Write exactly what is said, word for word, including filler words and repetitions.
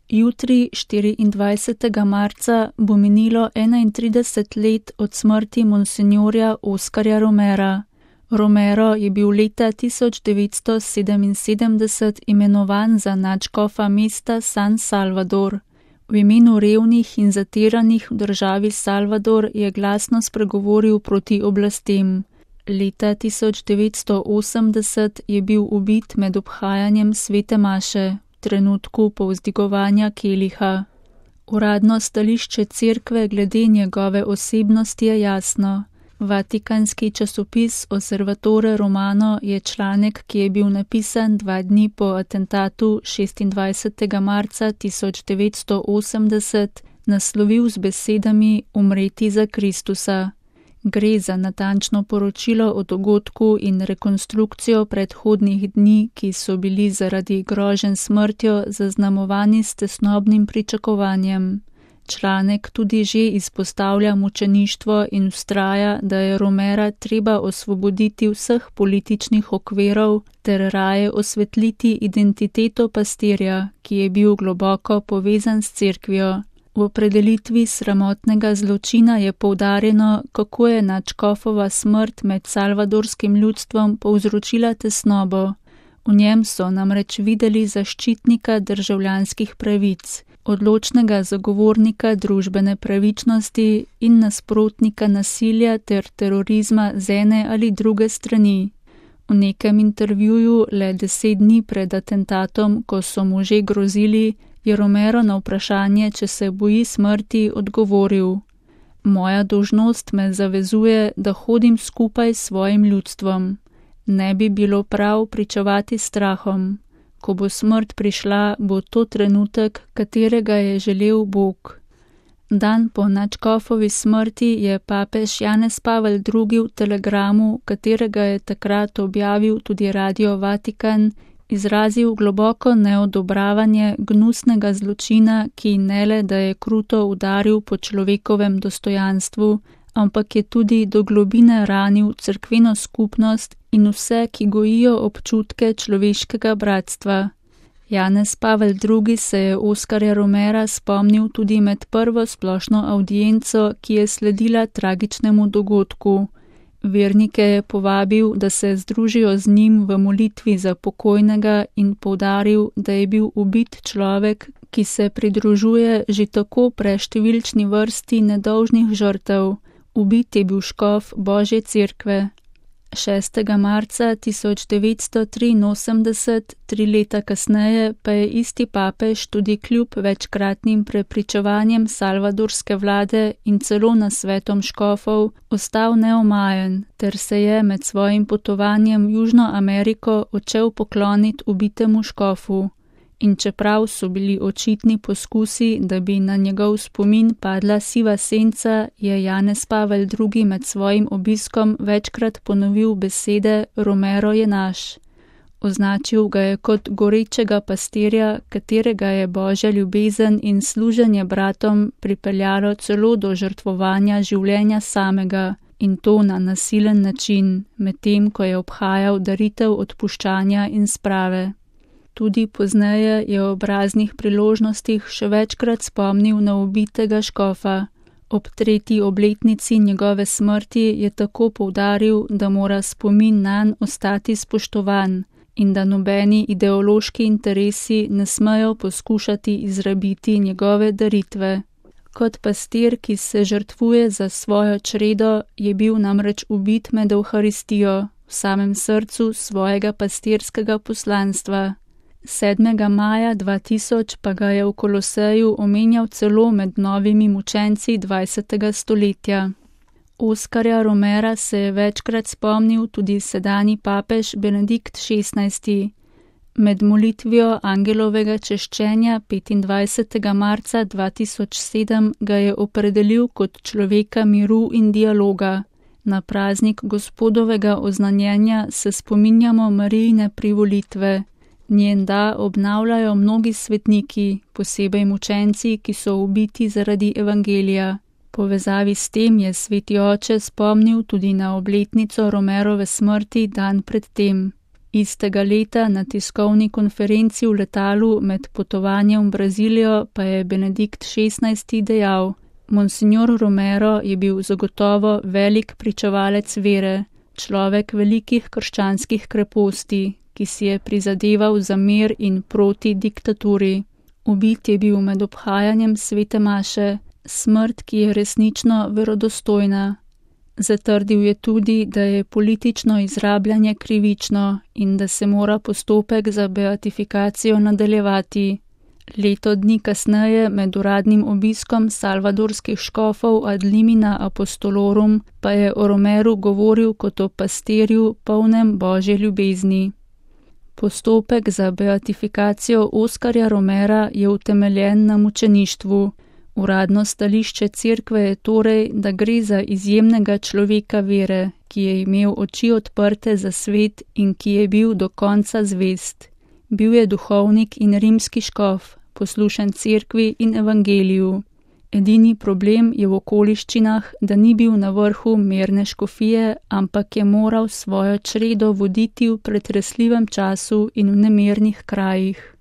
Jutri, štiriindvajsetega marca, bo minilo enaintrideset let od smrti monsinjorja Oskarja Romera. Romero je bil leta tisoč devetsto sedeminsedemdeset imenovan za nadškofa mesta San Salvador. V imenu revnih in zatiranih v državi Salvador je glasno spregovoril proti oblastem. Leta tisoč devetsto osemdeset je bil ubit med obhajanjem svete maše, v trenutku povzdigovanja keliha. Uradno stališče cerkve glede njegove osebnosti je jasno. Vatikanski časopis Osservatore Romano je članek, ki je bil napisan dva dni po atentatu šestindvajsetega marca tisoč devetsto osemdeset, naslovil z besedami Umreti za Kristusa. Gre za natančno poročilo o dogodku in rekonstrukcijo predhodnih dni, ki so bili zaradi groženj smrtjo zaznamovani s tesnobnim pričakovanjem. Članek tudi že izpostavlja mučeništvo in vztraja, da je Romera treba osvoboditi vseh političnih okvirov ter raje osvetliti identiteto pastirja, ki je bil globoko povezan s cerkvijo. V opredelitvi sramotnega zločina je poudarjeno, kako je nadškofova smrt med salvadorskim ljudstvom povzročila tesnobo. V njem so namreč videli zaščitnika državljanskih pravic, odločnega zagovornika družbene pravičnosti in nasprotnika nasilja ter terorizma z ene ali druge strani. V nekem intervjuju le deset dni pred atentatom, ko so mu že grozili, je Romero na vprašanje, če se boji smrti, odgovoril: Moja dolžnost me zavezuje, da hodim skupaj s svojim ljudstvom. Ne bi bilo prav pričevati strahom. Ko bo smrt prišla, bo to trenutek, katerega je želel Bog. Dan po nadškofovi smrti je papež Janez Pavel drugi v telegramu, katerega je takrat objavil tudi Radio Vatikan, izrazil globoko neodobravanje gnusnega zločina, ki ne le, da je kruto udaril po človekovem dostojanstvu, ampak je tudi do globine ranil cerkveno skupnost in vse, ki gojijo občutke človeškega bratstva. Janez Pavel drugi se je Oskarja Romera spomnil tudi med prvo splošno avdienco, ki je sledila tragičnemu dogodku. Vernike je povabil, da se združijo z njim v molitvi za pokojnega in poudaril, da je bil ubit človek, ki se pridružuje že tako preštevilčni vrsti nedolžnih žrtev. Ubit je bil škof Božje cerkve. šestega marca tisoč devetsto triinosemdeset, tri leta kasneje, pa je isti papež tudi kljub večkratnim prepričevanjem salvadorske vlade in celo nasvetom škofov ostal neomajen ter se je med svojim potovanjem v Južno Ameriko odšel pokloniti ubitemu škofu. In čeprav so bili očitni poskusi, da bi na njegov spomin padla siva senca, je Janez Pavel drugi med svojim obiskom večkrat ponovil besede Romero je naš. Označil ga je kot gorečega pastirja, katerega je Božja ljubezen in služenje bratom pripeljalo celo do žrtvovanja življenja samega, in to na nasilen način, medtem ko je obhajal daritev odpuščanja in sprave. Tudi pozneje je ob raznih priložnostih še večkrat spomnil na ubitega škofa. Ob tretji obletnici njegove smrti je tako poudaril, da mora spomin nanj ostati spoštovan in da nobeni ideološki interesi ne smejo poskušati izrabiti njegove daritve. Kot pastir, ki se žrtvuje za svojo čredo, je bil namreč ubit med Evharistijo, v samem srcu svojega pastirskega poslanstva. sedmega maja dva tisoč pa ga je v Koloseju omenjal celo med novimi mučenci dvajsetega stoletja. Oskarja Romera se je večkrat spomnil tudi sedanji papež Benedikt šestnajsti. Med molitvijo angelovega češčenja petindvajsetega marca dva tisoč sedem ga je opredelil kot človeka miru in dialoga. Na praznik Gospodovega oznanjenja se spominjamo Marijine privolitve. Njen da obnavljajo mnogi svetniki, posebej mučenci, ki so ubiti zaradi evangelija. Povezavi s tem je sveti oče spomnil tudi na obletnico Romerove smrti dan pred tem. Istega leta na tiskovni konferenci v letalu med potovanjem v Brazilijo pa je Benedikt šestnajsti dejal: Monsignor Romero je bil zagotovo velik pričevalec vere, človek velikih krščanskih kreposti, ki si je prizadeval za mir in proti diktaturi. Ubit je bil med obhajanjem svete maše, smrt, ki je resnično verodostojna. Zatrdil je tudi, da je politično izrabljanje krivično in da se mora postopek za beatifikacijo nadaljevati. Leto dni kasneje med uradnim obiskom salvadorskih škofov ad limina apostolorum pa je o Romeru govoril kot o pastirju polnem božje ljubezni. Postopek za beatifikacijo Oskarja Romera je utemeljen na mučeništvu. Uradno stališče cerkve je torej, da gre za izjemnega človeka vere, ki je imel oči odprte za svet in ki je bil do konca zvest. Bil je duhovnik in rimski škof, poslušen cerkvi in evangeliju. Edini problem je v okoliščinah, da ni bil na vrhu mirne škofije, ampak je moral svojo čredo voditi v pretresljivem času in v nemirnih krajih.